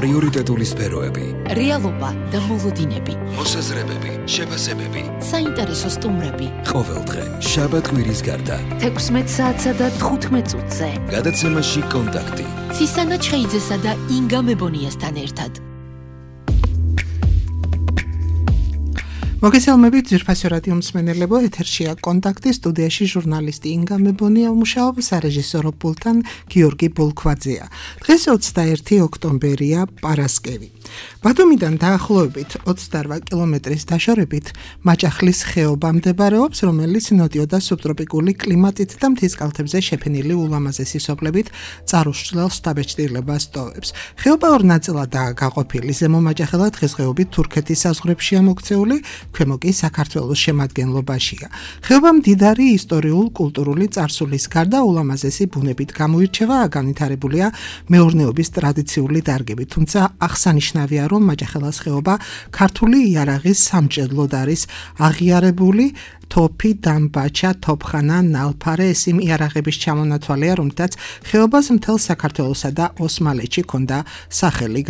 პრიორიტეტული სფეროები, რეალობა და მოლოდინები, მოსაზრებები, შეფასებები, საინტერესო სტუმრები. ყოველდღე, შაბათ-კვირის გარდა, 16 საათსა და 15 წუთზე. გადაცემაში კონტაქტი. ცისანა ჩხეიძესა და ინგა მებონიასთან ერთად. მოგესალმებით ძვირფასი რადიო მსმენელებო, ეთერშია კონტაქტი, სტუდიაში ჟურნალისტი ინგა მებონია მუშაობს, სარეჟისორო პულტთან გიორგი ბულქვაძეა. დღეს 21 ოქტომბერია, პარასკევი. ბათუმიდან დაახლოებით 28 კილომეტრის დაშორებით მაჭახლის ხეობა მდებარეობს, რომელიც ნოტიო და სუბტროპიკული კლიმატით და მთის კალთებზე შეფენილი ულამაზესი სოფლებით წარუსწრელ შთაბეჭდილებას ტოვებს. ხეობა ორ ნაწილადაა გაყოფილი, ზემო მაჭახელა დღესდღეობით თურქეთის საზღვრებშია მოქცეული, ქვემო კი საქართველოს შემადგენლობაშია. ხეობა მდიდარი ისტორიულ-კულტურული წარსულის გარდა ულამაზესი ბუნებით გამოირჩევა, განვითარებულია მეურნეობის ტრადიციული დარგები, თუმცა აღსანიშნავია, რომ მაჭახელას ხეობა ქართული იარაღის სამჭედლოდ არის აღიარებული. თოფი, დამბაჩა, თოფხანა, ნალფარე ეს იმ იარაღების ჩამონათვალეა, რომლითაც ხეობას მთელ საქართველოსა და ოსმალეთში ჰქონდა სახელი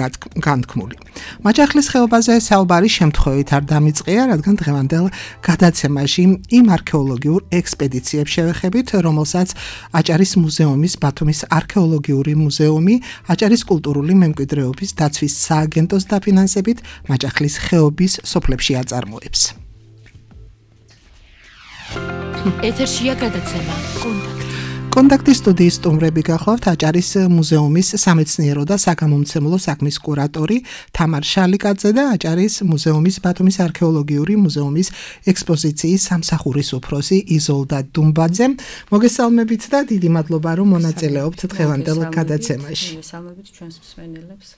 განთქმული. მაჭახლის ხეობაზე საუბარი შემთხვევით არ დამიწყია, რადგან დღევანდელ გადაცემაში იმ არქეოლოგიურ ექსპედიციებს შევეხებით, რომელსაც აჭარის მუზეუმის, ბათუმის არქეოლოგიური მუზეუმი, აჭარის კულტურული მემკვიდრეობის დაცვის სააგენტოს დაფინანსებით მაჭახლის ხეობის სოფლებში აწარმოებს. ეთერშია გადაცემა კონტაქტი. კონტაქტის სტუდიის სტუმრები გახლავთ აჭარის მუზეუმის სამეცნიერო და საგამომცემლო საქმის კურატორი თამარ შალიკაძე და აჭარის მუზეუმის ბათუმის არქეოლოგიური მუზეუმის ექსპოზიციის სამსახურის უფროსი იზოლდა დუმბაძე. მოგესალმებით და დიდი მადლობა, რომ მონაწილეობთ დღევანდელ გადაცემაში. მოგესალმებით ჩვენს მსმენელებს.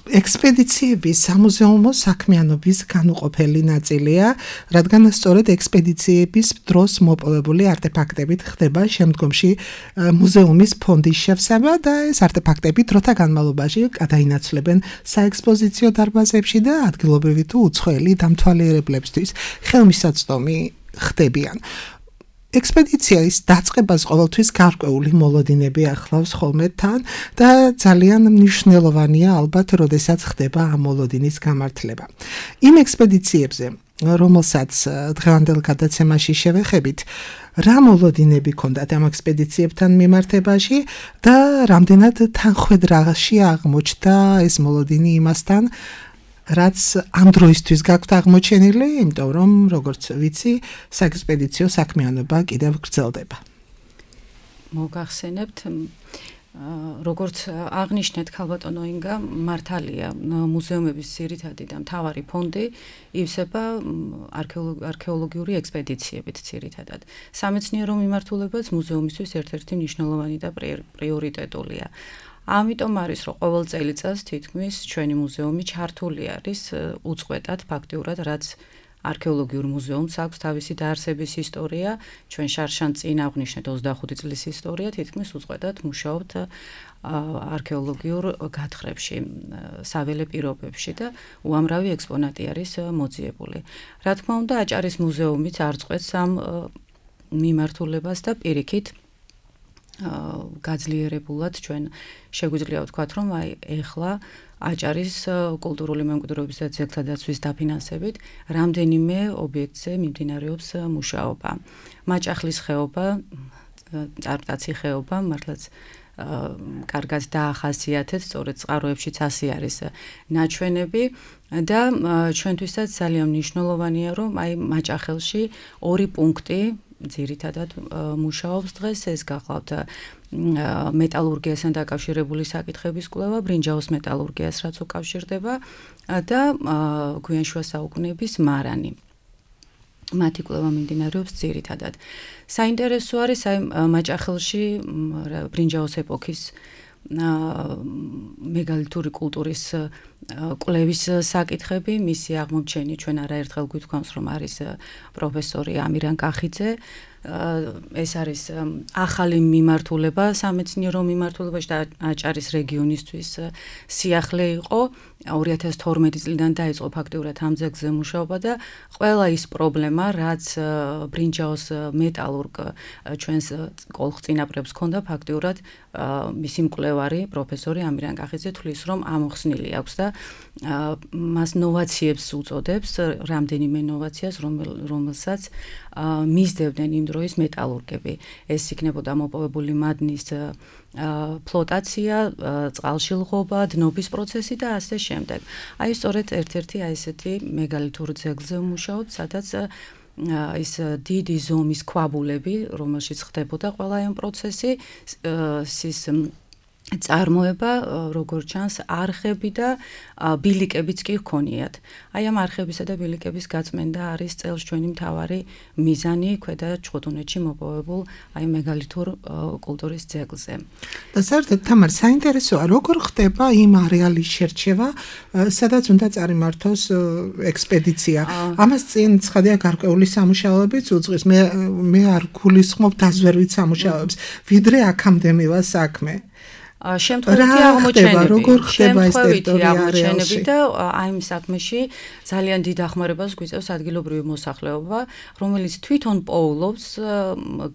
ექსპედიციები სამუზეუმო საქმიანობის განუყოფელი ნაწილია, რადგან სწორედ ექსპედიციების დროს მოპოვებული არტეფაქტებით ხდება შემდგომში მუზეუმის ფონდის შევსება და ეს არტეფაქტები დროთა განმავლობაში გადაინაცვლებენ საექსპოზიციო დარბაზებში და ადგილობრივი თუ უცხოელი დამთვალიერებლებისთვის ხელმისაწვდომი ხდებიან. ექსპედიციის დაწყებას ყოველთვის გარკვეული მოლოდინები ახლავს ხოლმე თან და ძალიან მნიშვნელოვანია ალბათ, როდესაც ხდება ამ მოლოდინის გამართლება. იმ ექსპედიციებზე, რომელსაც დღევანდელ გადაცემაში შევეხებით, რა მოლოდინები ჰქონდათ ამ ექსპედიციებთან მიმართებაში და რამდენად თანხვედრაში აღმოჩნდა ეს მოლოდინი იმასთან, რაც ამ დროისთვის გაქვთ აღმოჩენილი, იმიტომ რომ როგორც ვიცი, საექსპედიციო საქმიანობა კიდევ გრძელდება. მოგახსენებთ, როგორც აღნიშნეთ ქალბატონო ინგა, მართალია მუზეუმების ძირითადი და მთავარი ფონდი ივსება არქეოლოგიური ექსპედიციებით ძირითადად. სამეცნიერო მიმართულებაც მუზეუმისთვის ერთ-ერთი მნიშვნელოვანი და პრიორიტეტულია. ამიტომ არის, რომ ყოველ წელიწადს თითქმის ჩვენი მუზეუმი ჩართული არის უწყვეტად ფაქტიურად, რაც არქეოლოგიურ მუზეუმს აქვს თავისი დაარსების ისტორია, ჩვენ შარშან წინ აღვნიშნეთ 25 წლის ისტორია, თითქმის უწყვეტად მუშაობთ არქეოლოგიურ გათხრებში, საველე პირობებში და უამრავი ექსპონატი არის მოძიებული. რა თქმა უნდა, აჭარის მუზეუმიც არ წყვეტს ამ მიმართულებას და პირიქით გაძლიერებულად ჩვენ შეგვიძლია ვთქვათ, რომ ეხლა აჭარის კულტურული მემკვიდრეობის და ძეგლთა დაცვის დაფინანსებით რამდენიმე ობიექტზე მიმდინარეობს მუშაობა. მაჭახლის ხეობა, წარპტაცი ხეობა, მართლაც კარგად დაახასიათეთ, სწორედ წყაროებშიც ასე არის ნაჩვენები და ჩვენთვისაც ძალიან მნიშვნელოვანია, რომ მაჭახელში ორი პუნქტი ძირითადად მუშაობს დღეს, ეს გახლავთ მეტალურგიასთან დაკავშირებული საკითხების კვლევა, ბრინჯაოს მეტალურგიას რაც უკავშირდება და გვიანშუა საუკუნეების მარანი. მათი კვლევა მიმდინარეობს ძირითადად. საინტერესო არის მაჭახელში ბრინჯაოს ეპოქის მეგალითური კულტურის კვლევის საკითხები, მისი აღმოჩენი ჩვენ არაერთხელ გვითქვამს, რომ არის პროფესორი ამირან კახიძე, ეს არის ახალი მიმართულება სამეცნიერო მიმართულებაში და აჭარის რეგიონისთვის სიახლე იყო 2012 წლიდან დაიწყო ფაქტიურად ამ ძეგლზე მუშაობა და ყველა ის პრობლემა რაც ბრინჯაოს მეტალურგ ჩვენს კოლხწინაპრებს ჰქონდა ფაქტიურად მისი მკვლევარი პროფესორი ამირან კახიძე თვლის რომ ამოხსნილი აქვს და მას ნოვაციებს უწოდებს რამდენიმე ნოვაციას რომელსაც მისდევდნენ იმ დროის მეტალურგები ეს იქნებოდა მოპოვებული მადნის ფლოტაცია, წყალში ლღობა, დნობის პროცესი და ასე შემდეგ. აი სწორედ ერთ-ერთი აი ესეთი მეგალითურ ძეგლზე ვმუშაობთ, სადაც ის დიდი ზომის ქვაბულები, რომელშიც ხდებოდა ყველა ამ პროცესი, ის წარმოება, როგორც ჩანს, არხები და ბილიკებიც კი ჰქონიათ. აი ამ არხებისა და ბილიკების გაწმენდა არის წელს ჩვენი მთავარი მიზანი ქვედა ჩხუტუნეთში მოპოვებულ აი მეგალითურ კულტურის ძეგლზე. და საერთოდ თამარ საინტერესოა, როგორ ხდება იმ არეალის შერჩევა, სადაც უნდა წარიმართოს ექსპედიცია. ამას წინ ცხადია გარკვეული სამუშაოებიც უძღვის. მე არ გულისხმობ დაზვერვით სამუშაოებს, ვიდრე აქამდე მივა საქმე. შემთხვევითი აღმოჩენები და აი იმ საქმეში ძალიან დიდ დახმარებას გვიწევს ადგილობრივი მოსახლეობა, რომელიც თვითონ პოულობს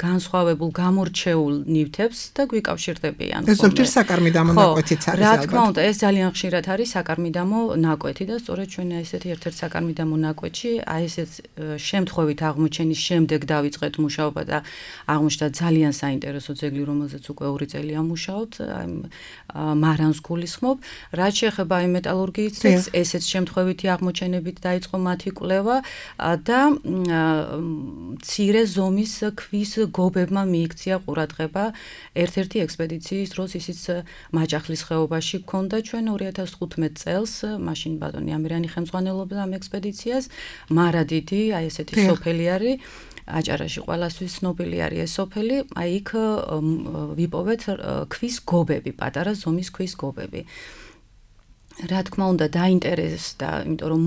განსხვავებულ გამორჩეულ ნივთებს და გვიკავშირდებიან. ეს ზოგჯერ საკარმიდამო ნაკვეთიც არის. რა თქმა უნდა, ეს ძალიან ხშირად არის საკარმიდამო ნაკვეთი და სწორედ ჩვენ ესეთი ერთ-ერთ საკარმიდამო ნაკვეთში აი ესეთ შემთხვევით აღმოჩენის შემდეგ დავიწყეთ მუშაობა და აღმოჩნდა ძალიან საინტერესო ძეგლი, რომელზეც უკვე 2 წელია მუშაობთ. მარანს გულისხმობ, რაც შეეხება იმ მეტალურგიის ძეგლს, ესეც შემთხვევითი აღმოჩენებით დაიწყო მათი კვლევა და მცირე ზომის ქვის გობებმა მიიქცია ყურადღება ერთ-ერთი ექსპედიციის დროს, ისიც მაჯახლის ხეობაში გქონდა ჩვენ 2015 წელს, მაშინ ბატონი ამირანი ხელმძღვანელობდა ამ ექსპედიციას, მარადიდი, აი ესეთი სოფელი არის აჭარაში ყველასთვის ცნობილი არის ეს სოფელი, აი იქ ვიპოვეთ ქვის გობები, პატარა ზომის ქვის გობები. რა თქმა უნდა დაინტერესდა, იმიტომ რომ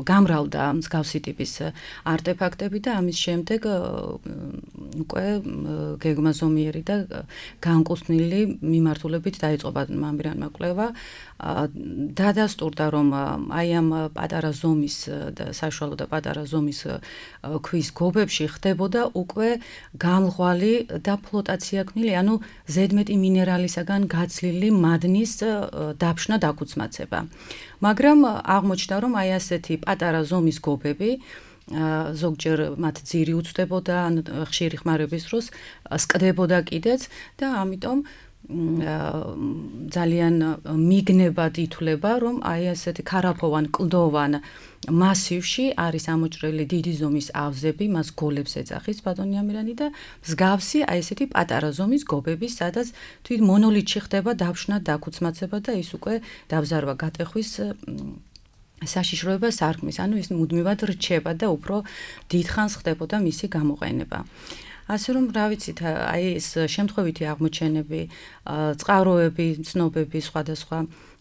გამრავლდა მსგავსი ტიპის არტეფაქტები და ამის შემდეგ უკვე გეგმაზომიერი და განკუთვნილი მიმართულებით დაიწყო ამირანმა კვლევა. დადასტურდა რომ აი ამ პატარა ზომის და საშუალო და პატარა ზომის ქვის გობებში ხდებოდა უკვე გამლღვალი და ფლოტაცია ქმნილი, ანუ ზედმეტი მინერალისაგან გაცლილი მადნის დაფშნა დაკუცმაცება. მაგრამ აღმოჩნდა რომ აი ასეთი პატარა ზომის გობები ზოგჯერ მათ ძირი უწვდებოდა, ან ხშირი ხმარების დროს სკდებოდა კიდეც და ამიტომ ძალიან მიგნებად ითვლება, რომ აი ასეთი ქარაფოვან კლდოვან მასივში არის ამოჭრილი დიდი ზომის ავზები, მას გოლებს ეძახის ბატონი ამირანი და მსგავსი აი ესეთი პატარა ზომის გობები, სადაც თვით მონოლითში ხდება დაფშნა, დაკუცმაცება და ის უკვე დაბზარვა გატეხვის საშიშროება სარკმის, ანუ ის მუდმივად რჩება და უფრო დიდხანს ხდებოდა მისი გამოყენება. ასე რომ რა ვიცით, აი ეს შემთხვევითი აღმოჩენები, წყაროები, ცნობები სხვადასხვა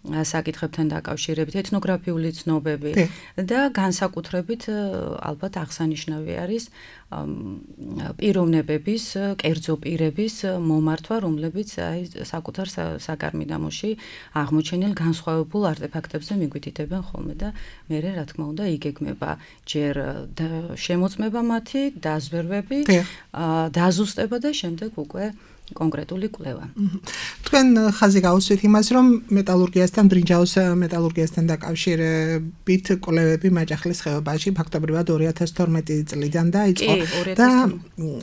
საკითხებთან დაკავშირებით, ეთნოგრაფიული ცნობები და განსაკუთრებით ალბათ აღსანიშნავი არის პიროვნებების, კერძო პირების მომართვა, რომლებიც აი საკუთარ საკარმიდამოში აღმოჩენილ განსხვავებულ არტეფაქტებზე მიგვითითებენ ხოლმე და მე რა თქმა უნდა იგეგმება ჯერ შემოწმება მათი, დაზვერვები, დაზუსტება და შემდეგ უკვე კონკრეტული კვლევა. თქვენ ხაზი გაუსვით იმას, რომ მეტალურგიასთან, ბრინჯაოს მეტალურგიასთან დაკავშირებით კვლევები მაჯახლის ხეობაში ფაქტობრივად 2012 წლიდან დაიწყო და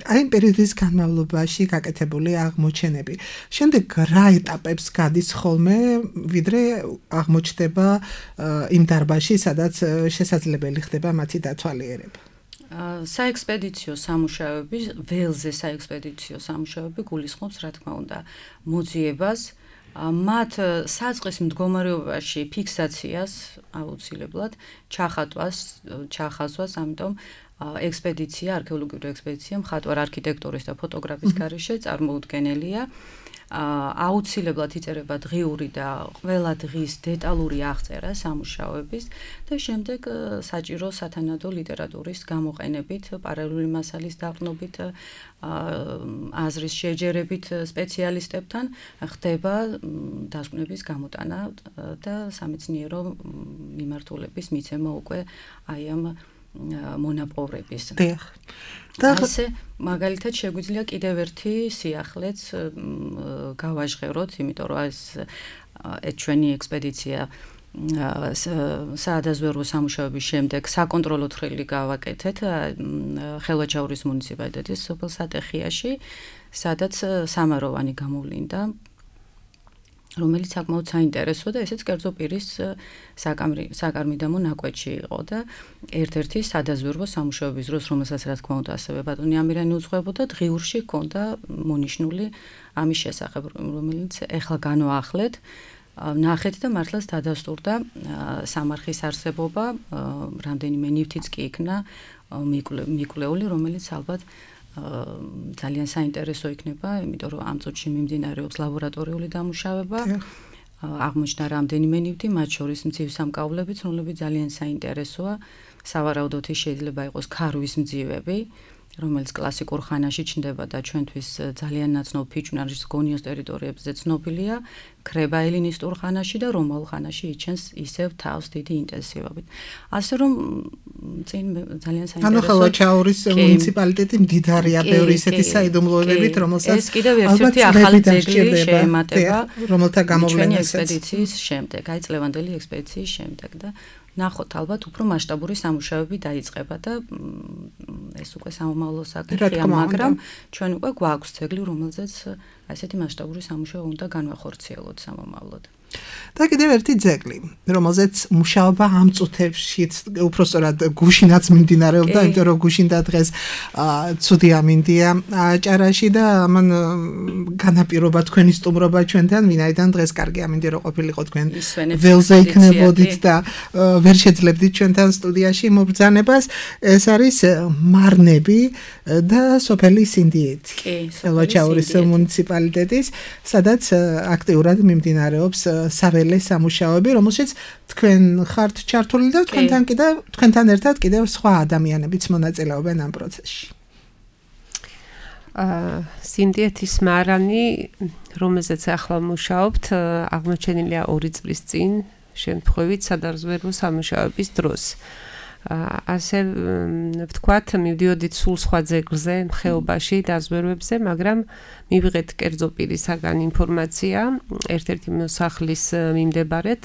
აი იმ პერიოდის განმავლობაში გაკეთებული აღმოჩენები. შემდეგ რა ეტაპებს გადის ხოლმე, ვიდრე აღმოჩნდება იმ დარბაზში, სადაც შესაძლებელი ხდება მათი დათვალიერება. საექსპედიციო სამუშაოები, ველზე საექსპედიციო სამუშაოები გულისხმობს, რა თქმა უნდა, მოძიებას, მათ საწყის მდგომარეობაში ფიქსაციას აუცილებლად ჩახაზვას, ამიტომ ექსპედიცია, არქეოლოგიური ექსპედიცია მხატვარ არქიტექტურის და ფოტოგრაფის გარეშე წარმოუდგენელია. აუცილებლად იწერება დღიური და ყველა დღის დეტალური აღწერა სამუშაოების და შემდეგ საჭირო სათანადო ლიტერატურის გამოყენებით, პარალელური მასალის დაყრდნობით, აზრის შეჯერებით სპეციალისტებთან ხდება დასკვნების გამოტანა და სამეცნიერო მიმართულების მიცემა უკვე აი ამ მონაპოვრების. და ასე მაგალითად შეგვიძლია კიდევ ერთი სიახლეც გავაჟღეროთ, იმიტომ რომ ეს ჩვენი ექსპედიცია საადაზვერვო სამუშაოების შემდეგ საკონტროლო თხრილი გავაკეთეთ ხელვაჩაურის მუნიციპალიტეტის სოფელ სატეხიაში, სადაც სამაროვანი გამოვლინდა, რომელიც საკმაოდ საინტერესო და ესეც კერძო პირის საკარმიდამო ნაკვეთში იყო და ერთ-ერთი სადაზვერვო სამუშაოების დროს, რომელსაც რა თქმა უნდა ასევე ბატონი ამირანი უძღვებოდა, დღიურში ჰქონდა მონიშნული ამის შესახებ, რომელიც ეხლა განვაახლეთ, ნახეთ და მართლაც დადასტურდა სამარხის არსებობა, რამდენიმე ნივთიც კი იქნა მიკვლეული, რომელიც ალბათ ძალიან საინტერესო იქნება, იმიტომ რომ ამ წუთში მიმდინარეობს ლაბორატორიული დამუშავება. აღმოჩნდა რამდენიმე ნივთი, მათ შორის მძივ სამკაულებიც, რომლებიც ძალიან საინტერესოა. სავარაუდოდ შეიძლება იყოს ქარვის მძივები, რომელიც კლასიკურ ხანაში ჩნდება და ჩვენთვის ძალიან ნაცნობ ფიჭვნარის გონიოს ტერიტორიებზე ცნობილია, ქრება ელინისტურ ხანაში და რომაულ ხანაში იჩენს ისევ თავს დიდი ინტენსივობით. ასე რომ წინ ძალიან საინტერესო. ანუ ხელვაჩაურის მუნიციპალიტეტი მდიდარია ბევრი ისეთი საიდუმლოებებით, რომელსაც კიდევ ერთ-ერთი ახალი ძეგლი შეემატება, რომელთა გამოვლენას ექსპედიციის შემდეგ, აი წლევანდელი ექსპედიციის შემდეგ და ნახოთ ალბათ უფრო მასშტაბური სამუშაოები დაიწყება და ეს უკვე სამომავლო საკითხია, მაგრამ ჩვენ უკვე გვაქვს ძეგლი, რომელზეც ასეთი მასშტაბური სამუშაო უნდა განვახორციელოთ სამომავლოდ. და კიდევ ერთი ძეგლი, რომელზეც მუშაობა ამ წუთებშიც უпростоრად გუშინაც მიმდინარეობდა, იმიტომ რომ გუშინდა დღეს ცუდი ამინდია ჭარაში და ამან განაპირობა თქვენი სტუმრობა ჩვენთან, ვინაიდან დღეს კარგი ამინდი რო ყოფილიყო თქვენ ველზე იქნებოდით და ვერ შეძლებდით ჩვენთან სტუდიაში მობრძანებას. ეს არის მარნები და სოფელი სინდიეთი. ხელვაჩაურის მუნიციპალიტეტის, სადაც აქტიურად მიმდინარეობს საველე სამუშაოები, რომელშიც თქვენ ხართ ჩართული და თქვენთან ერთად კიდევ სხვა ადამიანებიც მონაწილეობენ ამ პროცესში. სინდიეთის მარანი, რომელზეც ახლა მუშაობთ, აღმოჩენილია 2 წლის წინ, შემთხვევით სადაზვერვო სამუშაოების დროს. ასე ვთქვათ, მივდიოდით სულ სხვა ძეგლზე, ხეობაში, დაზვერვებზე, მაგრამ მივიღეთ კერძო პირისაგან ინფორმაცია ერთ-ერთი მოსახლის მიმდებარედ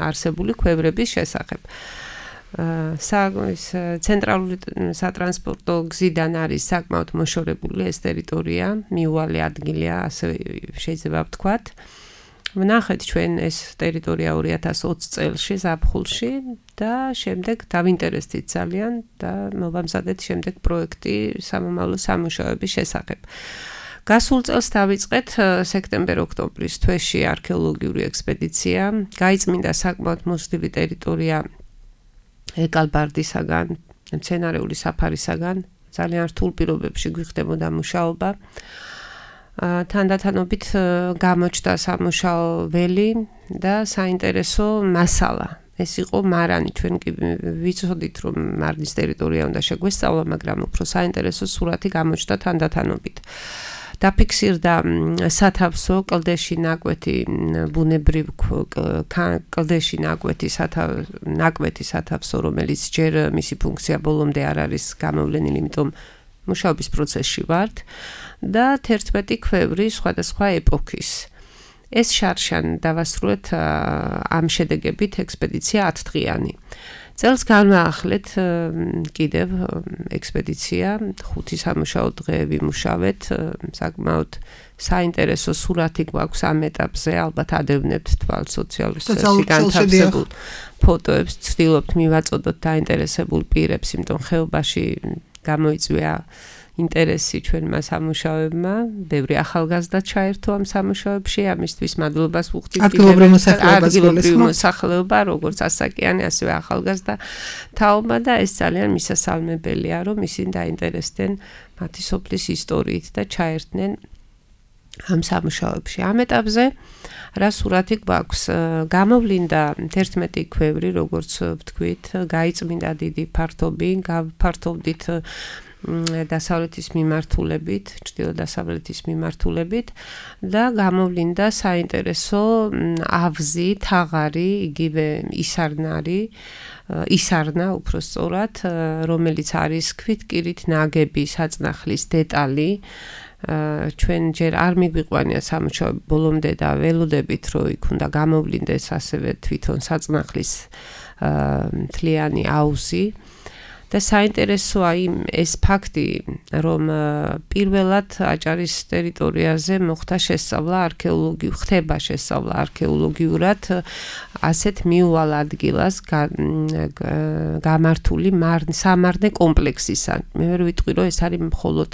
არსებული ქვევრების შესახებ. ცენტრალური სატრანსპორტო გზიდან არის საკმაოდ მოშორებული ეს ტერიტორია, მიუვალი ადგილია, ასე შეიძლება ვთქვათ. ვნახეთ ჩვენ ეს ტერიტორია 2020 წელში ზაფხულში და შემდეგ დავინტერესდით ძალიან და მოვამზადეთ შემდეგ პროექტი სამომავლო სამუშაოების შესახებ. გასულ წელს დავიწყეთ სექტემბერ-ოქტომბრის თვეში არქეოლოგიური ექსპედიცია, გაიწმინდა საკმაოდ მოსდივი ტერიტორია ეკალბარდისაგან, მცენარეული საფარისაგან, ძალიან რთულ პირობებში გვიხდებოდა მუშაობა. თანდათანობით გამოჩნდა სამუშაო ველი და საინტერესო მასალა. ეს იყო მარანი, ჩვენ კი ვიცოდით, რომ მარნის ტერიტორია უნდა შეგვესწავლა, მაგრამ უფრო საინტერესო სურათი გამოჩნდა თანდათანობით. დაფიქსირდა სათავსო კლდეში ნაკვეთი, ბუნებრივ კლდეში ნაკვეთი სათავსო, რომელიც ჯერ მისი ფუნქცია ბოლომდე არ არის გამოვლენილი, იმიტომ მუშაობის პროცესში ვართ და 11 ქვევრი სხვადასხვა ეპოქის. ეს შარშან დავასრულეთ ამ შედეგებით ექსპედიცია 10 დღიანი. წელს განვაახლეთ კიდევ ექსპედიცია, 5 სამუშაო დღე ვიმუშავეთ, საკმაოდ საინტერესო სურათი გვაქვს ამ ეტაპზე, ალბათ ადევნებთ თვალს სოციალურ ქსელში განთავსებულ ფოტოებს, ვცდილობთ მივაწოდოთ დაინტერესებულ პირებს, იმიტომ ხეობაში გამოიწვია ინტერესი ჩვენმა სამუშაოებმა, ბევრი ახალგაზრდა ჩაერთო ამ სამუშაოებში, ამისთვის მადლობას ვუხდით ადგილობრივ მოსახლეობა, როგორც ასაკიანი, ასევე ახალგაზრდა თაობა და ეს ძალიან მისასალმებელია, რომ ისინი დაინტერესდნენ მათი სოფლის ისტორიით და ჩაერთნენ ამ სამუშაოებში. ამ ეტაპზე რა სურათი გვაქვს? გამოვლინდა 11 ქვევრი, როგორც ვთქვით, გაიწმინდა დიდი ფართობი, გავფართოვდით დასავლეთის მიმართულებით, ჩრდილო-დასავლეთის მიმართულებით და გამოვლინდა საინტერესო ავზი, თაღარი, იგივე ისარნა უფრო სწორად, რომელიც არის ქვითკირით ნაგები საწნახლის დეტალი. ჩვენ ჯერ არ მიგვიყვანია სამუშაოები ბოლომდე და ველოდებით, რომ იქ უნდა გამოვლინდეს ასევე თვითონ საწნახლის მთლიანი აუზი. და საინტერესოა ეს ფაქტი, რომ პირველად აჭარის ტერიტორიაზე ხდება შესწავლა არქეოლოგიურად ასეთ მიუვალ ადგილას გამართული სამარნე კომპლექსისა. მე ვერ ვიტყვი, რომ ეს არის მხოლოდ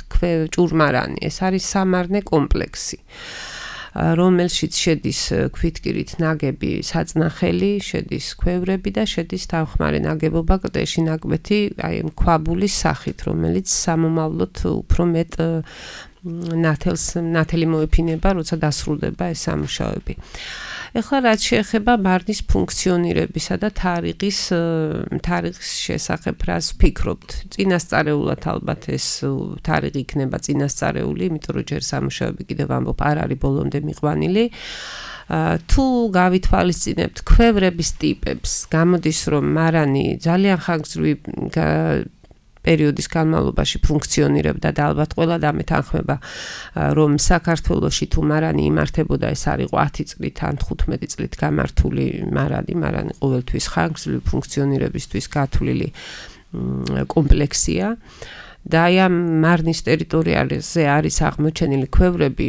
ჭურმარანი, ეს არის სამარნე კომპლექსი. რომელშიც შედის ქვითკირით ნაგები საწნახელი, შედის ქვევრები და შედის თავხმარე ნაგებობა კლდეში ნაკვეთი, აი ქვაბულის სახით, რომელიც სამომავლოდ უფრო მეტ ნათელი მოეფინება, როცა დასრულდება ეს სამუშაოები. ეხლა რაც შეეხება მარნის ფუნქციონირებისა და თარიღის შესახებ რას ვფიქრობთ? წინასწარეულად ალბათ ეს თარიღი იქნება წინასწარეული, იმიტომ რომ ჯერ სამუშაოები კიდევ ამბობ არ არის ბოლომდე მიყვანილი. თუ გავითვალისწინებთ ქვევრების ტიპებს, გამოდის რომ მარანი ძალიან ხანგრძლივი პერიოდის განმავლობაში ფუნქციონირებდა და ალბათ ყველა დამეთანხმება, რომ საქართველოში თუ მარანი იმართებოდა, ეს არ იყო 10 წლით ან 15 წლით გამართული მარანი ყოველთვის ხანგრძლივი ფუნქციონირებისთვის გათვლილი კომპლექსია. და აი ამ მარნის ტერიტორიაზე არის აღმოჩენილი ქვევრები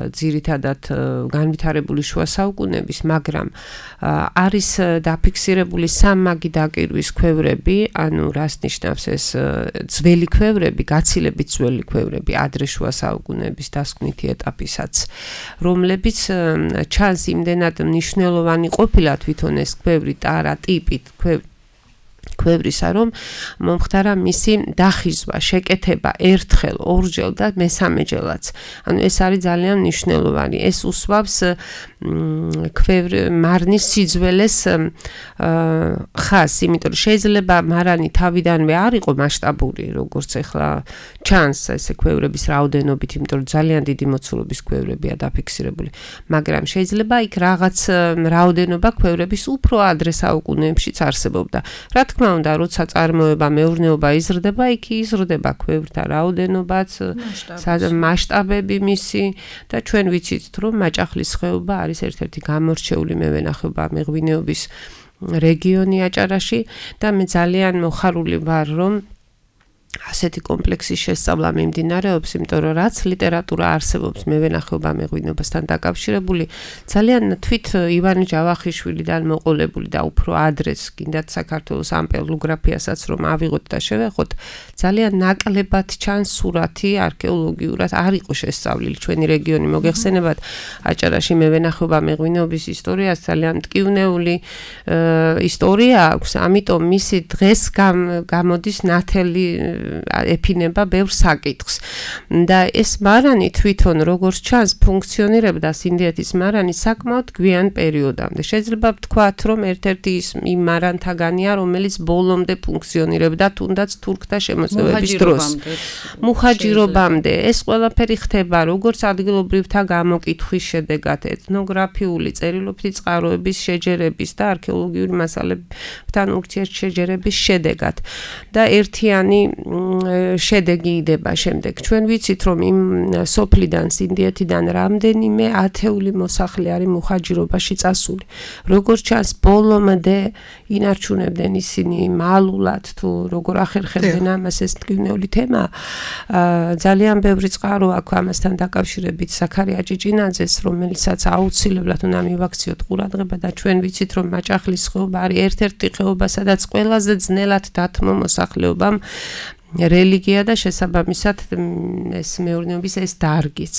ძირითადად განვითარებული შუა საუკუნეების, მაგრამ არის დაფიქსირებული სამმაგი დაკირვის ქვევრები, ანუ რას ნიშნავს ეს ძველი ქვევრები, გაცილებით ძველი ქვევრები, ადრე შუა საუკუნეების დასკვნითი ეტაპისაც, რომლებიც ჩანს იმდენად მნიშვნელოვანი ყოფილა თვითონ ეს ქვევრი ტარა ტიპით ქვევრისა, რომ მომხდარა მისი დახიზვა, შეკეთება ერთხელ, ორჯერ და მესამეჯერაც. ანუ ეს არის ძალიან მნიშვნელოვანი. ეს უსვავს მარნის სიძველეს ხაზს, იმიტომ რომ შეიძლება მარანი თავიდანვე არ იყო მასშტაბური, როგორც ახლა ჩანს ესე ქვევრების რაოდენობით, იმიტომ რომ ძალიან დიდი მოცულობის ქვევრებია დაფიქსირებული, მაგრამ შეიძლება იქ რაღაც რაოდენობა ქვევრების უფრო ადრე საუკუნეებშიც არსებობდა. რა თქმა უნდა, როცა წარმოება, მეურნეობა იზრდება, იქ იზრდება ქვევრთა რაოდენობაც, მასშტაბები მისი და ჩვენ ვიცით, რომ მაჭახლის ხეობა არის ერთ-ერთი გამორჩეული მევენახეობა მეღვინეობის რეგიონი აჭარაში და მე ძალიან მოხარული ვარ, რომ ასეთი კომპლექსის შესწავლა მიმდინარეობს, იმიტომ რომ რაც ლიტერატურა არსებობს მევენახეობა მეღვინეობასთან დაკავშირებული, ძალიან თვით ივანე ჯავახიშვილიდან მოყოლებული და უფრო ადრეც გინდათ საქართველოს ამპელოგრაფიასაც რომ ავიღოთ და შევეხოთ, ძალიან ნაკლებად ჩანს სურათი არქეოლოგიურად არ იყო შესწავლილი ჩვენი რეგიონი. მოგეხსენებათ, აჭარაში მევენახეობა მეღვინეობის ისტორიას ძალიან მტკივნეული ისტორია აქვს, ამიტომ მისი დღეს გამოდის ნათელი ეფინება ბევრ საკითხს. და ეს მარანი თვითონ როგორც ჩანს ფუნქციონირებდა სინდიეთის მარანი საკმაოდ გვიან პერიოდამდე. შეიძლება ვთქვათ, რომ ერთ-ერთი იმ მარანთაგანია, რომელიც ბოლომდე ფუნქციონირებდა, თუნდაც თურქთა შემოსევების დროს. მუჰაჯირობამდე. ეს ყველაფერი ხდება როგორც ადგილობრივთა გამოკითხვის შედეგად, ეთნოგრაფიული წერილობითი წყაროების შეჯერების და არქეოლოგიური მასალებთან ურთიერთშეჯერების შედეგად. და ერთიანი შედეგი იდება შემდეგ. ჩვენ ვიცით, რომ იმ სოფლიდან, სინდიეთიდან რამდენიმე ათეული მოსახლე არის მუჰაჯირობაში წასული. როგორც ჩანს, ბოლომდე ინარჩუნებდნენ ისინი მალულად თუ როგორ ახერხებდნენ ამას, ეს მტკივნეული თემა. ძალიან ბევრი წყარო აქვს ამასთან დაკავშირებით ზაქარია ჭიჭინაძეს, რომელიცაც აუცილებლად უნდა მივაქციოთ ყურადღება და ჩვენ ვიცით, რომ მაჭახლის ხეობა არის ერთ-ერთი ხეობა, სადაც ყველაზე ძნელად დათმო მოსახლეობამ რელიგია და შესაბამისად ეს მეურნეობის ეს დარგიც.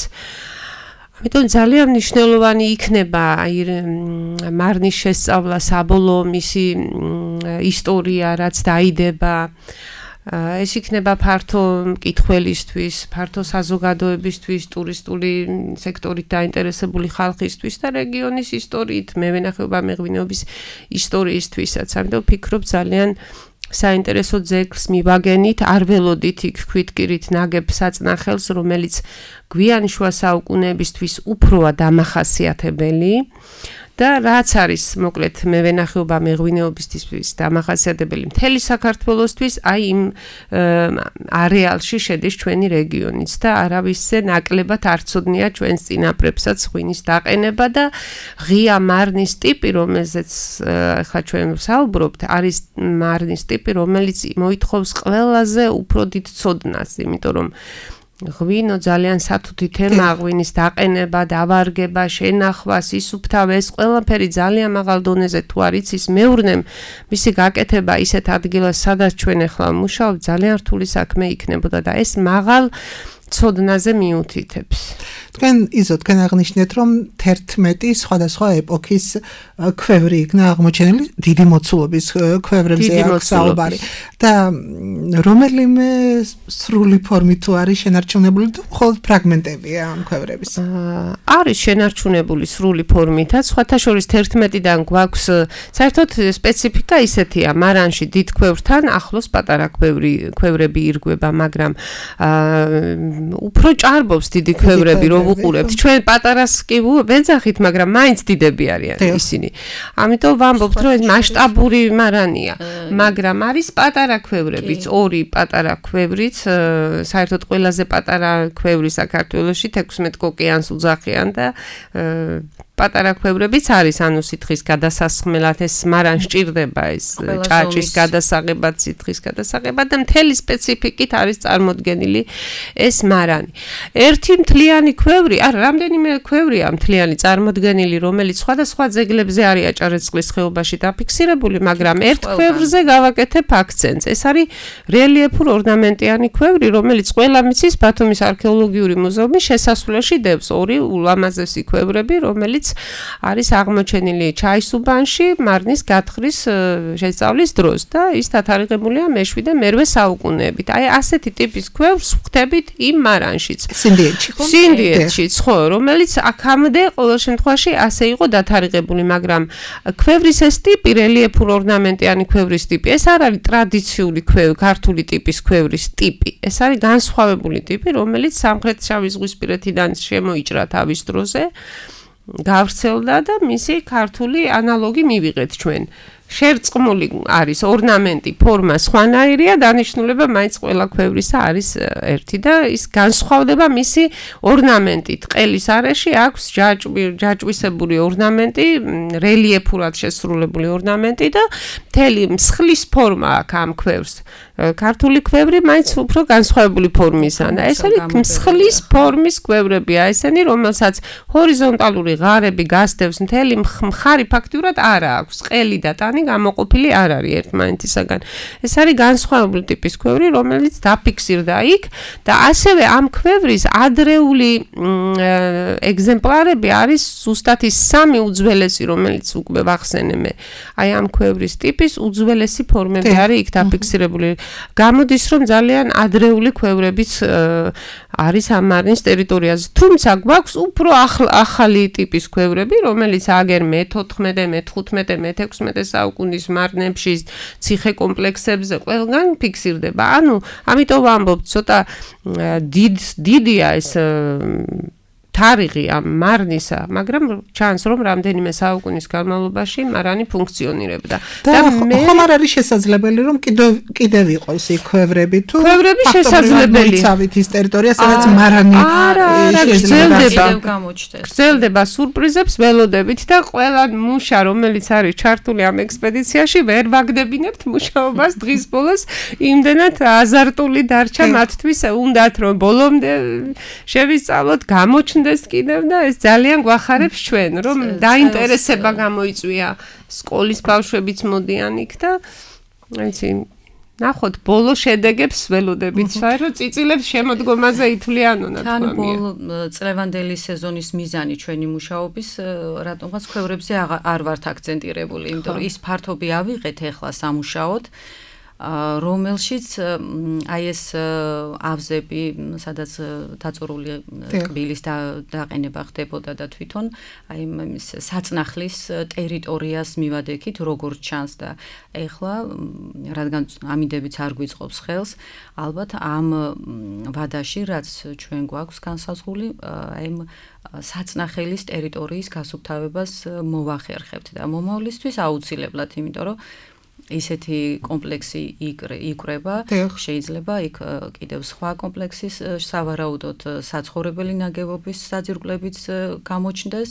ამიტომ ძალიან მნიშვნელოვანი იქნება მარნის შესწავლა, საბოლოო მისი ისტორია, რაც დაიდება ეს იქნება ფართო მკითხველისთვის, ფართო საზოგადოებისთვის, ტურისტული სექტორით დაინტერესებული ხალხისთვის და რეგიონის ისტორიით, მევენახეობა მეღვინეობის ისტორიისთვისაც. ამიტომ ვფიქრობ ძალიან საინტერესო ძეგლს მივაგენით, არ ველოდით იქ ქვითკირით ნაგებ საწნახელს, რომელიც გვიანი შუა საუკუნეებისთვის უფროა დამახასიათებელი. და რაც არის მოკლედ მევენახეობა მეღვინეობისთვის დამახასიათებელი მთელი საქართველოსთვის, აი იმ არეალში შედის ჩვენი რეგიონიც და არავისზე ნაკლებად არ ცოდნია ჩვენს წინაპრებსაც ღვინის დაყენება და ღია მარნის ტიპი, რომელზეც ახლა ჩვენ ვსაუბრობთ, არის მარნის ტიპი, რომელიც მოითხოვს ყველაზე უფრო დიდ ცოდნას, იმიტომ რომ ღვინო ძალიან სათუთი თემაა, ღვინის დაყენება, დავარგება, შენახვა, სისუფთავე, ეს ყველაფერი ძალიან მაღალ დონეზე თუ არ იცის მეურნემ, მისი გაკეთება ისეთ ადგილას, სადაც ჩვენ ახლა ვმუშაობთ, ძალიან რთული საქმე იქნებოდა და ეს მაღალ ცოდნაზე მიუთითებს. თქვენ აღნიშნეთ, რომ 11 სხვადასხვა ეპოქის ქვევრი იქნა აღმოჩენილი, დიდი მოცულობის ქვევრებზე აქვს საუბარი და რომელიმე სრული ფორმით თუ არის შენარჩუნებული თუ მხოლოდ ფრაგმენტებია ამ ქვევრების? არის შენარჩუნებული სრული ფორმითაც, სხვათა შორის 11-დან გვაქვს საერთოდ სპეციფიკა ისეთია, მარანში დიდ ქვევრთან ახლოს პატარა ქვევრები ირგვება, მაგრამ უფრო ჭარბობს დიდი ქვევრები, რომ უყურებთ. ჩვენ პატარას კი ვეძახით, მაგრამ მაინც დიდები არიან ისინი. ამიტომ ვამბობთ, რომ ეს მასშტაბური მარანია, მაგრამ არის პატარა ქვევრებიც, ორი პატარა ქვევრიც, საერთოდ ყველაზე პატარა ქვევრი საქართველოში 16 კოკიანს უძახიან და პატარა ქვევრებიც არის, ანუ სითხის გადასასხმელად ეს მარან სჭირდება, ეს ჭაჭის გადასაღებად, სითხის გადასაღებად და მთელი სპეციფიკით არის წარმოდგენილი ეს მარანი. ერთი მთლიანი ქვევრი, რამდენიმე ქვევრია მთლიანი წარმოდგენილი, რომელიც სხვადასხვა ძეგლებზე არის აჭარისწყლის ხეობაში დაფიქსირებული, მაგრამ ერთ ქვევრზე გავაკეთებ აქცენტს. ეს არის რელიეფურ ორნამენტიანი ქვევრი, რომელიც ყველა მიცის ბათუმის არქეოლოგიური მუზეუმის შესასვლელში დევს, ორი ულამაზესი ქვევრები, რომელიც არის აღმოჩენილი ჩაისუბანში მარნის გათხრის შესწავლის დროს და ის დათარიღებულია მე-7 და მე-8 საუკუნეებით. აი ასეთი ტიპის ქვევრს ვხვდებით იმ მარანშიც. სინდიეთშიც, ხო, რომელიც აქამდე ყოველ შემთხვევაში ასე იყო დათარიღებული, მაგრამ ქვევრის ეს ტიპი, რელიეფურ ორნამენტიანი ქვევრის ტიპი, ეს არ არის ტრადიციული ქართული ტიპის ქვევრის ტიპი. ეს არის განსხვავებული ტიპი, რომელიც სამხრეთ შავი ზღვისპირეთიდან შემოიჭრა თავის დროზე. გავრცელდა და მისი ქართული ანალოგი მივიღეთ ჩვენ. შერწყმული არის ორნამენტი, ფორმა სხვანაირია, დანიშნულება მაინც ყველა ქვევრისა არის ერთი და ის განსხვავდება მისი ორნამენტით. ყელის არეში აქვს ჯაჭვისებური ორნამენტი, რელიეფურად შესრულებული ორნამენტი და მთელი მსხლის ფორმა აქვს ამ ქვევრს. ქართული ქვევრი მაინც უფრო განსხვავებული ფორმისაა და ეს არის მსხლის ფორმის ქვევრებია ესენი, რომელსაც ჰორიზონტალური ღარები გასდევს, მთელი მხარი ფაქტიურად არ აქვს, ყელი და ტანი გამოყოფილი არ არის ერთმანეთისაგან. ეს არის განსხვავებული ტიპის ქვევრი, რომელიც დაფიქსირდა იქ და ასევე ამ ქვევრის ადრეული ეგზემპლარები არის ზუსტად ის 3 უძველესი, რომელიც უკვე ვახსენე მე. აი ამ ქვევრის ტიპის უძველესი ფორმები არის იქ დაფიქსირებული. გამოდის, რომ ძალიან ადრეული ქვევრებიც არის ამ მარნის ტერიტორიაზე. თუმცა გვაქვს უფრო ახალი ტიპის ქვევრები, რომელიც აგერ მე-14, მე-15, მე-16 საუკუნის მარნებში, ციხე კომპლექსებზე ყველგან ფიქსირდება. ანუ, ამიტომ ვამბობთ, ცოტა დიდია ეს თარიღი ამ მარნისა, მაგრამ ჩანს, რომ რამდენიმე საუკუნის განმავლობაში მარანი ფუნქციონირებდა. და ხომ არ არის შესაძლებელი, რომ კიდევ იყოს იქ ქვევრები თუ ქვევრები შესაძლებელი. მოიცავით ის ტერიტორია, სადაც მარანი გრძელდება სურპრიზებს ველოდებით და ყველა მუშა, რომელიც არის ჩართული ამ ექსპედიციაში, ვერ ვაგდებინებთ მუშაობას დღის ბოლოს, იმდენად აზარტული დარჩა მათთვის, უნდათ რომ ბოლომდე შევისწავლოთ, გამოჩნდეს კიდევ და ეს ძალიან გვახარებს ჩვენ, რომ დაინტერესება გამოიწვია, სკოლის ბავშვებიც მოდიან იქ და აიცი ნახოთ ბოლო შედეგებს ველოდებით, საერთოდ წიწილებს შემოდგომაზე ითვლიანონა თქვა. თან ბოლო წლევანდელი სეზონის მიზანი ჩვენი მუშაობის, რატომღაც ქვევრებზე არ ვართ აქცენტირებული, იმიტომ რომ ის ფართობი ავიღეთ ახლა სამუშაოდ. რომელშიც აი ეს ავზები, სადაც დაწურული ტკბილის დაყენება ხდებოდა და თვითონ აი ის საწნახლის ტერიტორიას მივადექით, როგორც ჩანს და ეხლა რადგან ამინდებიც არ გვიწყობს ხელს, ალბათ ამ ვადაში, რაც ჩვენ გვაქვს განსაზღვრული, აი საწნახელის ტერიტორიის გასუფთავებას მოვახერხებთ და მომავლისთვის აუცილებლად, იმიტომ რომ ისეთი კომპლექსი იკვრება, შეიძლება იქ კიდევ სხვა კომპლექსის სავარაუდოდ საცხოვრებელი ნაგებობის საძირკვლებიც გამოჩნდეს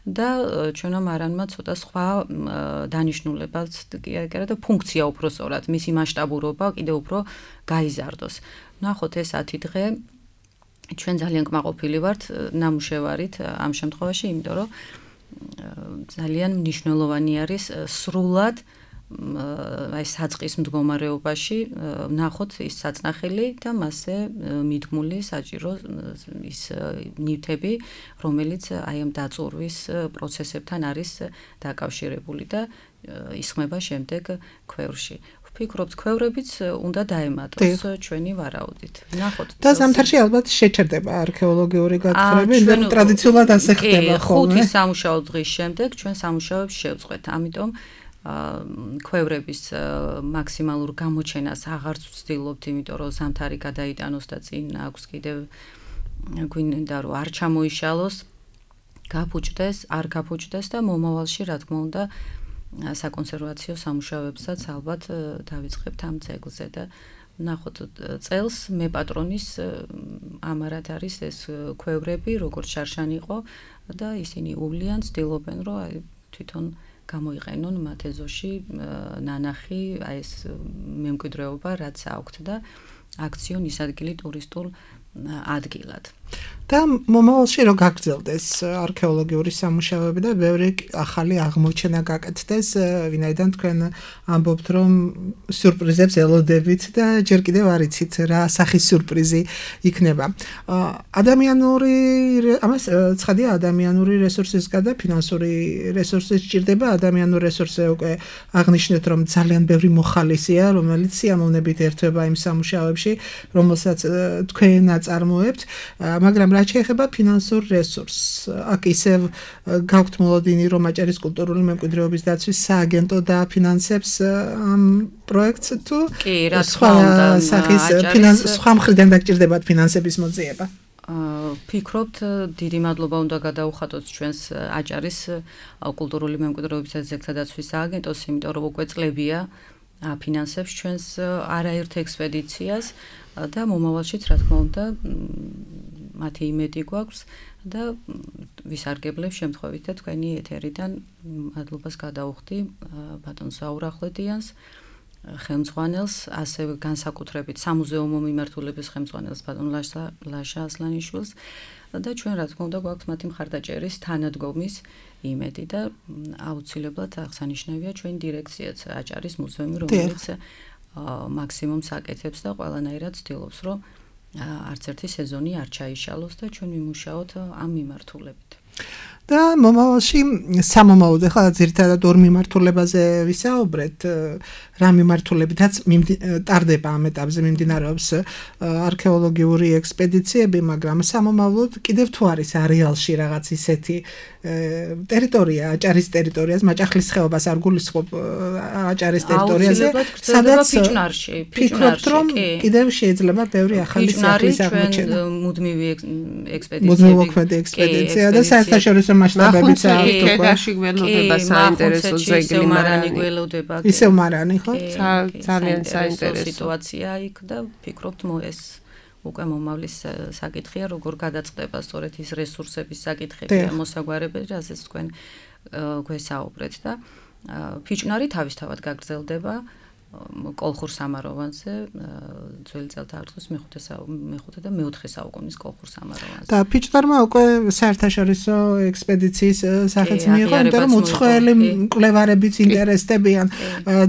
და ჩვენმა მარანმა ცოტა სხვა დანიშნულებაც და ფუნქცია უпроსწორად, მისი მასშტაბურობა კიდევ უფრო გაიზარდოს. ნახოთ ეს 10 დღე ჩვენ ძალიან კმაყოფილი ვართ ნამუშევარით ამ შემთხვევაში, იმიტომ რომ ძალიან მნიშვნელოვანი არის სრულად აი საწყის მდგომარეობაში ნახოთ ის საწნახელი და მასზე მიდგმული საჭირო ის ნივთები, რომელიც აი ამ დაწურვის პროცესებთან არის დაკავშირებული და ისხმება შემდეგ ქვევრში. ვფიქრობთ, ქვევრებიც უნდა დაემატოს ჩვენი ვარაუდით. ნახოთ. და ზამთარში ალბათ შეჩერდება არქეოლოგიური გათხრები, მაგრამ ტრადიციულად ასე ხდება ხუთი ხოლმე. სამუშაო დღის შემდეგ ჩვენ სამუშაოებს შევწყვეთ. ამიტომ ქვევრების მაქსიმალურ გამოჩენას აღარც ვცდილობთ, იმიტომ რომ ზამთარი გადაიტანოს და წინ აქვს კიდევ გვინდა რომ არ ჩამოიშალოს, გაფუჭდეს, არ გაფუჭდეს და მომავალში რა თქმა უნდა საკონსერვაციო სამუშაოებსაც ალბათ დავიწყებთ ამ ძეგლზე და ნახოთ წელს მე პატრონის ამარად არის ეს ქვევრები, როგორც შარშანი იყო და ისინი უვლიან, ცდილობენ რომ აი თვითონ გამოიყენონ მათ ეზოში ნანახი, აი ეს მემკვიდრეობა, რაც აქვთ და აქციონ ის ადგილი ტურისტულ ადგილად. და მომავალში რო გაგრძელდეს არქეოლოგიური სამუშაოები და ბევრი ახალი აღმოჩენა გაკეთდეს, ვინაიდან თქვენ ამბობთ, რომ სიურპრიზებს ელოდებით და ჯერ კიდევ არ იცით რა სახის სიურპრიზი იქნება. ადამიანური ამას ცხადია ადამიანური რესურსისგან და ფინანსური რესურსის სჭირდება. ადამიანური რესურსი უკვე აღნიშნეთ, რომ ძალიან ბევრი მოხალისეა, რომელიც სიამოვნებით ერთვება იმ სამუშაოებში, რომელსაც თქვენ აწარმოებთ, მაგრამ რაც შეეხება ფინანსურ რესურსს, აქ ისევ გაქვთ მოლოდინი, რომ აჭარის კულტურული მემკვიდრეობის დაცვის სააგენტო დააფინანსებს ამ პროექტს თუ სხვა სახის სხვა მხრიდან დაგჭირდებათ ფინანსების მოძიება? ვფიქრობთ, დიდი მადლობა უნდა გადაუხატოთ ჩვენს აჭარის კულტურული მემკვიდრეობის და ძეგლთა დაცვის სააგენტოს, იმიტომ რომ უკვე წლებია აფინანსებს ჩვენს არაერთ ექსპედიციას და მომავალშიც რა თქმა უნდა მათი იმედი გვაქვს და ვისარგებლებ შემთხვევით და თქვენი ეთერიდან მადლობას გადაუხდი ბატონ ზაურ ახვლედიანს, ხელმძღვანელს, ასევე განსაკუთრებით სამუზეუმო მიმართულების ხელმძღვანელს ბატონ ლაშა ასლანიშვილს და ჩვენ რა თქმა უნდა გვაქვს მათი მხარდაჭერის თანადგომის იმედი და აუცილებლად აღსანიშნავია ჩვენი დირექციაც აჭარის მუზეუმი, რომელიც მაქსიმუმს აკეთებს და ყველანაირად ცდილობს, რომ არც ერთი სეზონი არ ჩაიშალოს და ჩვენ ვიმუშაოთ ამ მიმართულებით. და მომავალში სამომავლოდ ახლა ძირითადად ორ მიმართულებაზე ვისაუბრეთ, რა მიმართულებითაც ტარდება ამ ეტაპზე მიმდინარეობს არქეოლოგიური ექსპედიციები, მაგრამ სამომავლოდ კიდევ თუ არის არეალში რაღაც ისეთი ტერიტორია, აჭარის ტერიტორიას, მაჭახლის ხეობას არ გულისხმობ აჭარის ტერიტორიაზე, სადაც ფიქრობთ, რომ კიდევ შეიძლება ბევრი ახალი სახლის აღმოჩენა. მუდმივი ექსპედიციები და საერთაშორისო მასშტაბებიც აქვს უკვე. დაში გველოდება საინტერესო ძეგლი მარანი გველოდება. ისევ მარანი ხო? ძალიან საინტერესო სიტუაცია იქ და ვფიქრობთ ეს უკვე მომავლის საკითხია, როგორ გადაწყდება სწორედ ის რესურსების საკითხები და მოსაგვარებელი, რასაც თქვენ გვესაუბრეთ და ფიჭნარი თავისთავად გაგრძელდება კოლხურ სამაროვანზე, ძველი წელთაღრიცხვის მეხუთე და მეოთხე საუკუნის კოლხურ სამაროვანზე. და ფიჭნარმა უკვე საერთაშორისო ექსპედიციის სახეც მიიღო, იმიტომ რომ უცხოელი მკვლევარებიც ინტერესდებიან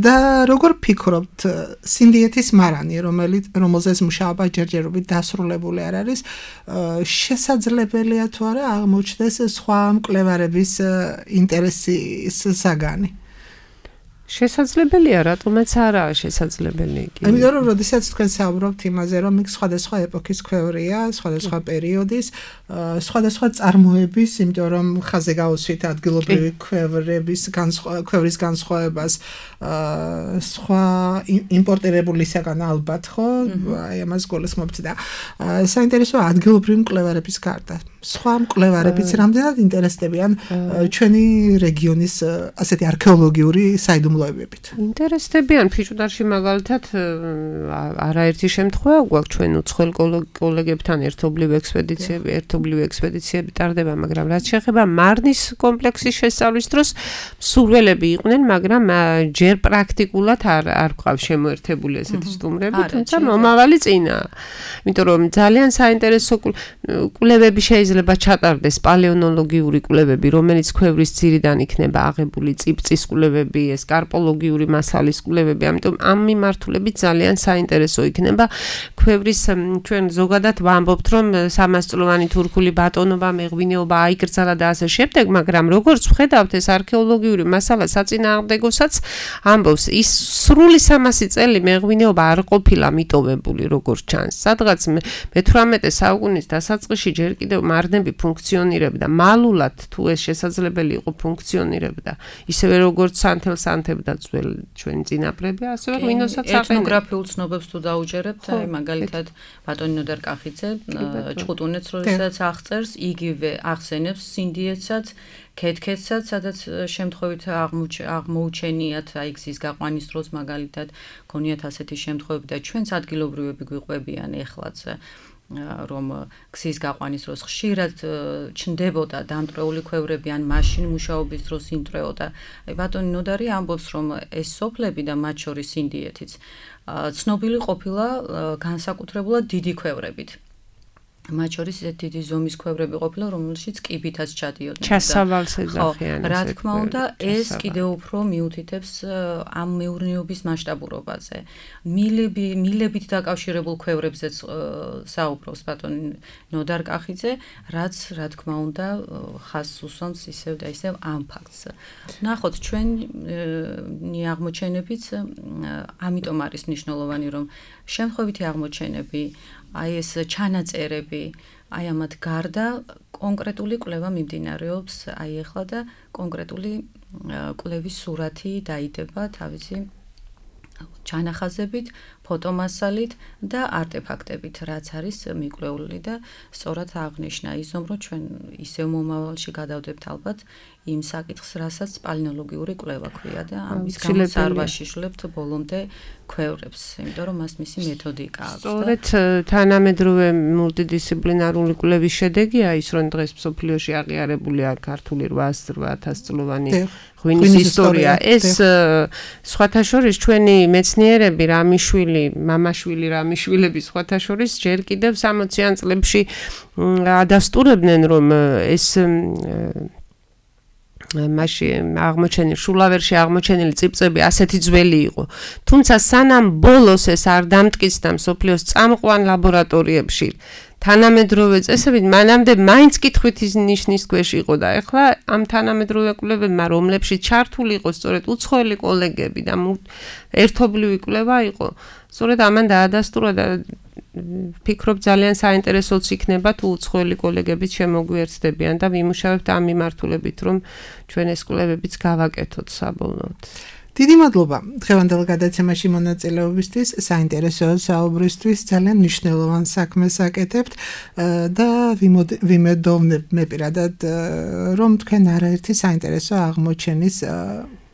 და როგორ ფიქრობთ, სინდიეთის მარანი, რომელზეც მუშაობა ჯერჯერობით დასრულებული არ არის, შესაძლებელია თუ არა აღმოჩნდეს სხვა მკვლევარების ინტერესის საგანი? შესაძლებელია, რატომაც არაა შესაძლებელი კი. ამიტომ რომ როდესაც თქვენ საუბრობთ იმაზე, რომ იქ სხვადასხვა ეპოქის ქვევრია, სხვადასხვა პერიოდის, სხვადასხვა წარმოების, იმიტომ რომ ხაზე გავუსვით ადგილობრივი ქვევრების განსხვავებას, სხვა იმპორტირებულისაგან ალბათ, ხო? აი ამას გულისხმობთ და საინტერესოა ადგილობრივი მკვლევარების გარდა. სხვა მკვლევარებიც რამდენად ინტერესდებიან ჩვენი რეგიონის ასეთი არქეოლოგიური საიდუმლოებებით. ინტერესდებიან ფიჭუდარში მაგალითად არაერთი შემთხვევა გვაქვს ჩვენ უცხოელ კოლეგებთან ერთობლივ ექსპედიციები ტარდება, მაგრამ რაც შეეხება მარნის კომპლექსის შესწავლის დროს მსურველები იყვნენ, მაგრამ ჯერ პრაქტიკულად არ გვყავს შემოერთებული ესეთი სტუმრები, თუმცა მომავალი წინაა. იმიტომ რომ ძალიან საინტერესო კვლევები შეიძლება ჩატარდეს პალეონოლოგიური კვლევები, რომელიც ქვევრის ძირიდან იქნება აღებული, წიბწის კვლევები, ეს კარპოლოგიური მასალის კვლევები, ამიტომ ამ მიმართულებით ძალიან საინტერესო იქნება. ქვევრის ჩვენ ზოგადად ვამბობთ, რომ 300 წლოვანი თურქული ბატონობა, მეღვინეობა აიკრძალა და ასე შემდეგ, მაგრამ როგორც ვხედავთ, ეს არქეოლოგიური მასალა საწინააღმდეგოსაც ამბობს, ის სრული 300 წელი მეღვინეობა არ ყოფილა მიტოვებული, როგორც ჩანს. სადღაც მე-18 საუკუნის დასაწყისში ჯერ კიდევ მარნები ფუნქციონირებდა, მალულად თუ ეს შესაძლებელი იყო ფუნქციონირებდა, ისევე როგორც სანთელ-სანთებდა ძველ ჩვენი წინაპრები, ასევე ღვინოსაც აყენებდა. ეთნოგრაფიულ ცნობებს თუ დაუჯერებთ, აი მაგალითად ბატონი ნოდარ კახიძე ჭყუტუნეთს როდესაც აღწერს, იგივე ახსენებს სინდიეთსაც, ქეთქეთსაც, სადაც შემთხვევით აღმოუჩენიათ, აი გზის გაყვანის დროს მაგალითად გონიათ ასეთი შემთხვევები და ჩვენც ადგილობრივები გვიყვებიან ეხლაც. რომ გზის გაყვანის დროს ხშირად ჩნდებოდა დამტრეული ქვევრები ან მაშინ მუშაობის დროს იმტრეოდა. აი ბატონი ნოდარი ამბობს, რომ ეს სოფლები და მათ შორის ინდიეთიც ცნობილი ყოფილა განსაკუთრებულად დიდი ქვევრებით. მათ შორის ისეთ დიდი ზომის ქვევრები ყოფილა, რომელშიც კიბითაც ჩადიოდნენ. ჩასავალს ეძახიან. რა თქმა უნდა, ეს კიდევ უფრო მიუთითებს ამ მეურნეობის მასშტაბურობაზე. მილებით დაკავშირებულ ქვევრებზეც საუბრობს ბატონი ნოდარ კახიძე, რაც რა თქმა უნდა ხაზს უსვამს ისევ და ისევ ამ ფაქტს. ნახოთ, ჩვენი აღმოჩენებიც ამიტომ არის მნიშვნელოვანი, რომ შემთხვევითი აღმოჩენები აი ეს ჩანაწერები, აი ამათ გარდა კონკრეტული კვლევა მიმდინარეობს, აი ახლა და კონკრეტული კვლევის სურათი დაიდება თავისი ჩანახაზებით, ფოტომასალით და არტეფაქტებით, რაც არის მიკვლეული და სწორად აღნიშნა ისომ, რომ ჩვენ ისევ მომავალში გადავდებთ ალბათ იმ საკითხს, რასაც პალეონოლოგიური კვლევა ქვია და ამის გამოც არ ვაშიშლებთ ბოლომდე ქვევრებს, იმიტომ რომ მას მისი მეთოდიკა აქვს. სწორედ თანამედროვე მულტიდისციპლინარული კვლევის შედეგია ის, რომ დღეს მსოფლიოში აღიარებულია ქართული 800 წლოვანი ღვინის ისტორია. ეს სხვათა შორის ჩვენი მეცნიერები რამიშვილი, მამაშვილი რამიშვილები სხვათა შორის ჯერ კიდევ 60-იან წლებში ადასტურებდნენ, რომ ეს მაშინ აღმოჩენილი შულავერში აღმოჩენილი წიბწები ასეთი ძველი იყო. თუმცა სანამ ბოლოს ეს არ დამტკიცდა მსოფლიოს წამყვან ლაბორატორიებში თანამედროვე წესებით, მანამდე მაინც კითხვითის ნიშნის ქვეშ იყო და ეხლა ამ თანამედროვე კვლევებმა, რომლებშიც ჩართული იყო სწორედ უცხოელი კოლეგები და ერთობლივი კვლევა იყო, სწორედ ამან დაადასტურა და ფიქრობ ძალიან საინტერესოც იქნება თუ უცხოელი კოლეგებიც შემოგვიერთდებიან და ვიმუშავებთ ამ მიმართულებით, რომ ჩვენ ეს კვლევებიც გავაკეთოთ საბოლოოდ. დიდი მადლობა დღევანდელ გადაცემაში მონაწილეობისთვის, საინტერესო საუბრისთვის, ძალიან მნიშვნელოვან საქმეს აკეთებთ და ვიმედოვნებ მე პირადად, რომ თქვენ არაერთი საინტერესო აღმოჩენის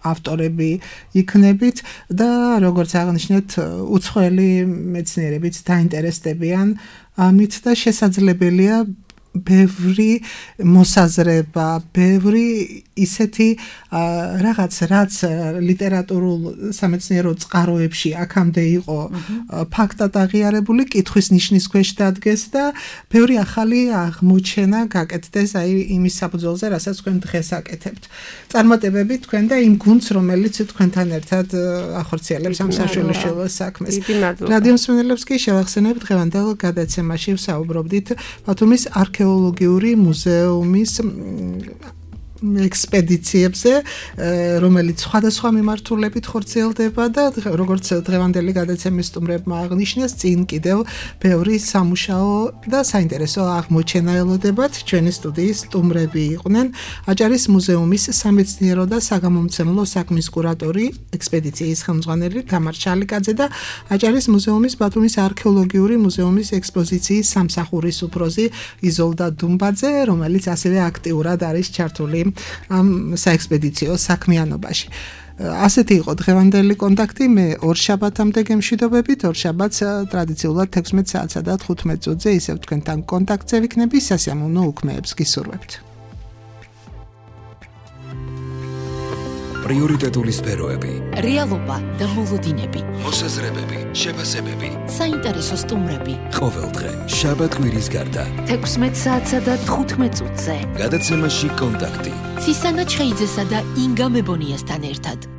ავტორები იქნებით და როგორც აღნიშნეთ, უცხოელი მეცნიერებიც დაინტერესდებიან ამით და შესაძლებელია ბევრი მოსაზრება, ბევრი ისეთი რაღაც, რაც ლიტერატურულ სამეცნიერო წყაროებში აქამდე იყო ფაქტად აღიარებული, კითხვის ნიშნის ქვეშ დადგეს და ბევრი ახალი აღმოჩენა გაკეთდეს აი იმის საფუძველზე, რასაც თქვენ დღეს აკეთებთ. წარმატებები თქვენ და იმ გუნდს, რომელიც თქვენთან ერთად ახორციელებს ამ საშუალო საქმეს. რადიო მსმენელებს კი შევახსენებ, დღევანდელ გადაცემაში ვსაუბრობდით ბათუმის არქეოლოგიური მუზეუმის ექსპედიციებზე, რომელიც სხვადასხვა მიმართულებით ხორციელდება და როგორც დღევანდელი გადაცემის სტუმრებმა აღნიშნეს, წინ კიდევ ბევრი სამუშაო და საინტერესო აღმოჩენა ელოდებათ. ჩვენი სტუდიის სტუმრები იყვნენ აჭარის მუზეუმის სამეცნიერო და საგამომცემლო საქმის კურატორი, ექსპედიციის ხელმძღვანელი თამარ შალიკაძე და აჭარის მუზეუმის ბათუმის არქეოლოგიური მუზეუმის ექსპოზიციის სამსახურის უფროსი იზოლდა დუმბაძე, რომელიც ასევე აქტიურად არის ჩართული ამ საექსპედიციო საქმიანობაში. ასეთი იყო დღევანდელი კონტაქტი. მე ორ შაბათამდე გემშვიდობებით. ორ შაბათს ტრადიციულად 16 საათსა და 15 წუთზე ისევ თქვენთან კონტაქტზე ვიქნები. სასიამოვნო უქმეებს გისურვებთ. პრიორიტეტული სფეროები, რეალობა და მოლოდინები, მოსაზრებები, შეფასებები, საინტერესო სტუმრები. ყოველდღე შაბათ კვირის გარდა 16 საათსა და 15 წუთზე. გადაცემაში კონტაქტი. ცისანა ჩხეიძესა და ინგა მებონიასთან ერთად.